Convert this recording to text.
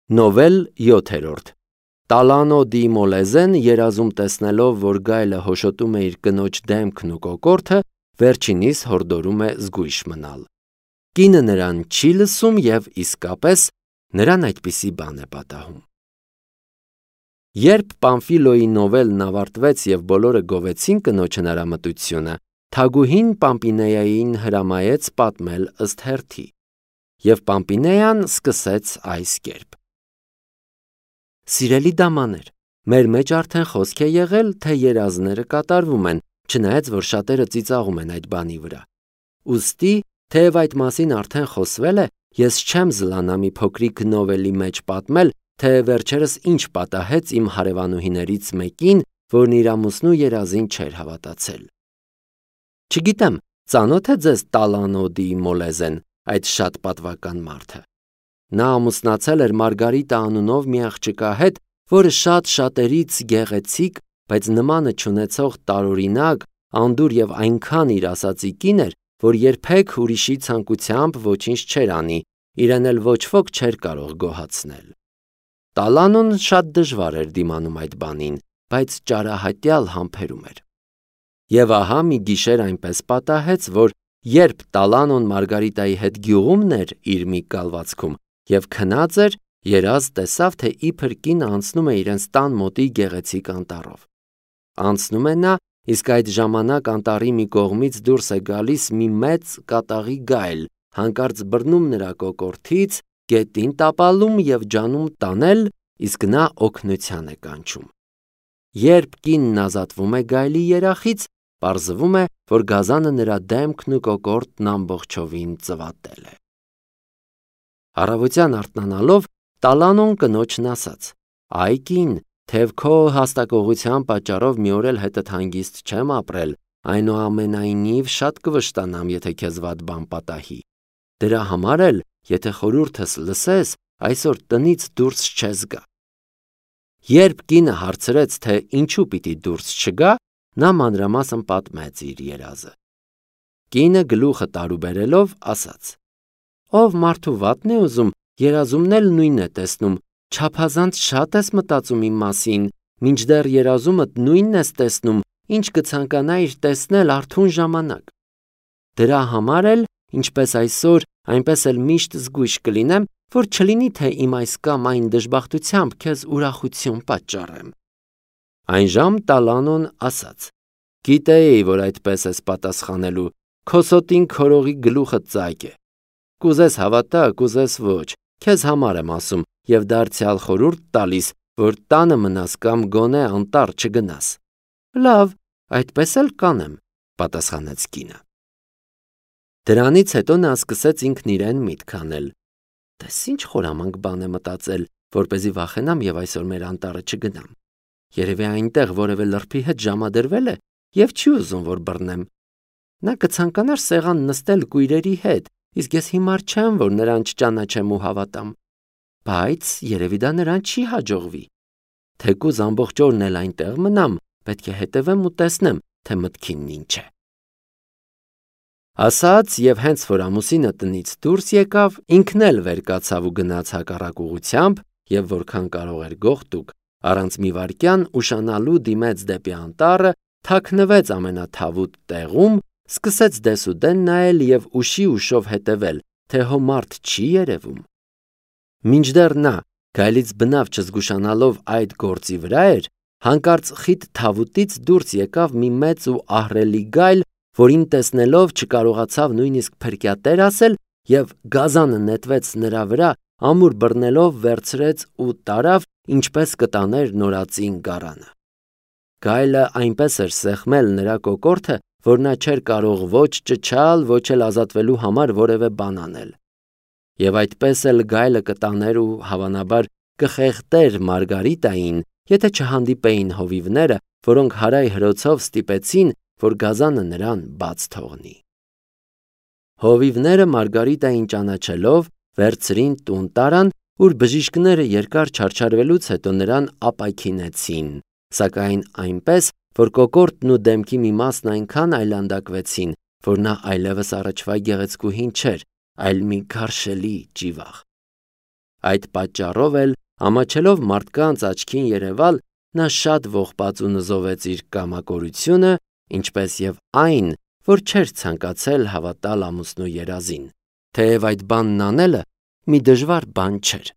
Նովել 7-րդ Տալանո դի Մոլեզեն երազում տեսնելով, որ գայլը հոշոտում է իր կնոջ դեմքն ու կոկորդը, վերջինիս հորդորում է զգույշ մնալ։ Կինը նրան չի լսում և իսկապես նրան այդպիսի բան է պատահում։ Երբ Պամֆիլոյի նովելն ավարտվեց և բոլորը գովեցին կնոջ հնարամտությունը, թագուհին Պամպինեային հրամայեց պատմել ըստ հերթի, և Պամպինեան սկսեց այս կերպ. Սիրելի դամաներ, մեր մեջ արդեն խոսք է եղել, թե երազները կատարվում են, չնայած որ շատերը ծիծաղում են այդ բանի վրա։ Ուստի, թեև այդ մասին արդեն խոսվել է, ես չեմ զլանա մի փոքրիկ նովելի մեջ պատմել, թե վերջերս ինչ պատահեց իմ հարևանուհիներից մեկին, որն իր ամուսնու երազին չէր հավատացել։ Չգիտեմ, ծանոթ է ձեզ Տալանո դի Մոլեզեն, այդ շատ պատվական մարդը։ Նա ամուսնացել էր Մարգարիտա անունով մի աղջկա հետ, որը շատ-շատերից գեղեցիկ, բայց նմանը չունեցող տարօրինակ, անդուր և այնքան իր ասածի կին էր, որ երբեք ուրիշի ցանկությամբ ոչինչ չէր անի, իրեն էլ ոչ ոք չէր կարող գոհացնել։ Տալանոն շատ դժվար էր դիմանում այդ բանին, բայց ճարահատյալ համբերում էր։ Եվ ահա մի գիշեր այնպես պատահեց, որ երբ Տալանոն Մարգարիտայի հետ գյուղումն էր իր մի կալվածքում և քնած էր, երազ տեսավ, թե իբր կինը անցնում է իրենց տան մոտի գեղեցիկ անտառով։ Անցնում է նա, իսկ այդ ժամանակ անտառի մի կողմից դուրս է գալիս մի մեծ կատաղի գայլ, հանկարծ բռնում նրա կոկորդից, գետին տապալում և ջանում տանել, իսկ նա օգնության է կանչում։ Երբ կինն ազատվում է գայլի երախից, պարզվում է, որ գազանը նրա դեմքն ու կոկորդն ամբողջովին ծվատել է։ Առավոտյան արթնանալով, Տալանոն կնոջն ասաց. «Այ կին, թեև քո հաստակողության պատճառով մի օր էլ հետդ հանգիստ չեմ ապրել, այնուամենայնիվ շատ կվշտանամ, եթե քեզ վատ բան պատահի։ Դրա համար էլ, եթե խորհուրդս լսես, այսօր տնից դուրս չես գա»։ Երբ կինը հարցրեց, թե ինչու պիտի դուրս չգա, նա մանրամասն պատմեց իր երազը։ Կինը գլուխը տարուբերելով ասաց. «Ով մարդու վատն է ուզում, երազումն էլ նույնն է տեսնում, չափազանց շատ ես մտածում իմ մասին, մինչդեռ երազումդ նույնն ես տեսնում, ինչ կցանկանայիր տեսնել արթուն ժամանակ։ Դրա համար էլ, ինչպես այսօր, այնպես էլ միշտ զգույշ կլինեմ, որ չլինի, թե իմ այս կամ այն դժբախտությամբ քեզ ուրախություն պատճառեմ»։ Այնժամ Տալանոն ասաց. «Գիտեի, որ այդպես ես պատասխանելու, քո սոտին քորողի գլուխը ծակ է։ Կուզես հավատա, կուզես ոչ, քեզ համար եմ ասում և դարձյալ խորհուրդ տալիս, որ տանը մնաս կամ գոնե անտառ չգնաս»։ «Լավ, այդպես էլ կանեմ», պատասխանեց կինը։ Դրանից հետո նա սկսեց ինքն իրեն միտք անել. «Տես ինչ խորամանկ բան է մտածել, որպեսզի վախենամ և այսօր մեր անտառը չգնամ։ Երևի այնտեղ որևէ լրբի հետ ժամադրվել է և չի ուզում, որ բռնեմ։ Նա կցանկանար սեղան նստել կույրերի հետ, իսկ ես հիմար չեմ, որ նրան չճանաչեմ ու հավատամ։ Բայց երևի դա նրան չի հաջողվի։ Թեկուզ ամբողջ օրն էլ այնտեղ մնամ, պետք է հետևեմ ու տեսնեմ, թե մտքինն ինչ է»։ Ասաց և հենց որ ամուսինը տնից դուրս եկավ, ինքն էլ վեր կացավ ու գնաց հակառակ ուղղությամբ և որքան կարող էր գողտուկ, առանց մի վայրկյան ուշանալու դիմեց դեպի անտառը, թաքնվեց ամենաթավուտ տեղում, սկսեց դեսուդեն նայել և ուշի ուշով հետևել, թե հո մարդ չի երևում։ Մինչդեռ նա, գայլից բնավ չզգուշանալով այդ գործի վրա էր, հանկարծ խիտ թավուտից դուրս եկավ մի մեծ ու ահռելի գայլ, որին տեսնելով չկարողացավ նույնիսկ փրկյատեր ասել և գազանը նետվեց նրա վրա, ամուր բռնելով վերցրեց ու տարավ, ինչպես կտաներ նորածին գարանը։ Գայլը այնպես էր սեղմել նրա կոկորդը, որ նա չէր կարող ոչ ճչալ, ոչ էլ ազատվելու համար որևէ բան անել։ Եվ այդպես էլ գայլը կտաներ ու հավանաբար կխեղդեր Մարգարիտային, եթե չհանդիպեին հովիվները, որոնք հարայ հրոցով ստիպեցին, որ գազանը նրան բաց թողնի։ Հովիվները Մարգարիտային ճանաչելով, վերցրին տուն տարան, ուր բժիշկները երկար չարչարվելուց հետո նրան ապաքինեցին, սակայն այնպես, որ կոկորդն ու դեմքի մի մասն այնքան այլանդակվեցին, որ նա այլևս առաջվա գեղեցկուհին չէր, այլ մի գարշելի ճիվաղ։ Այդ պատճառով էլ, ամաչելով մարդկանց աչքին երևալ, նա շատ ողբաց ու նզովեց իր կամակորությունը, ինչպես եւ այն, որ չէր ցանկացել հավատալ ամուսնու երազին, թեև այդ բանն անելը մի դժվար բան չէր։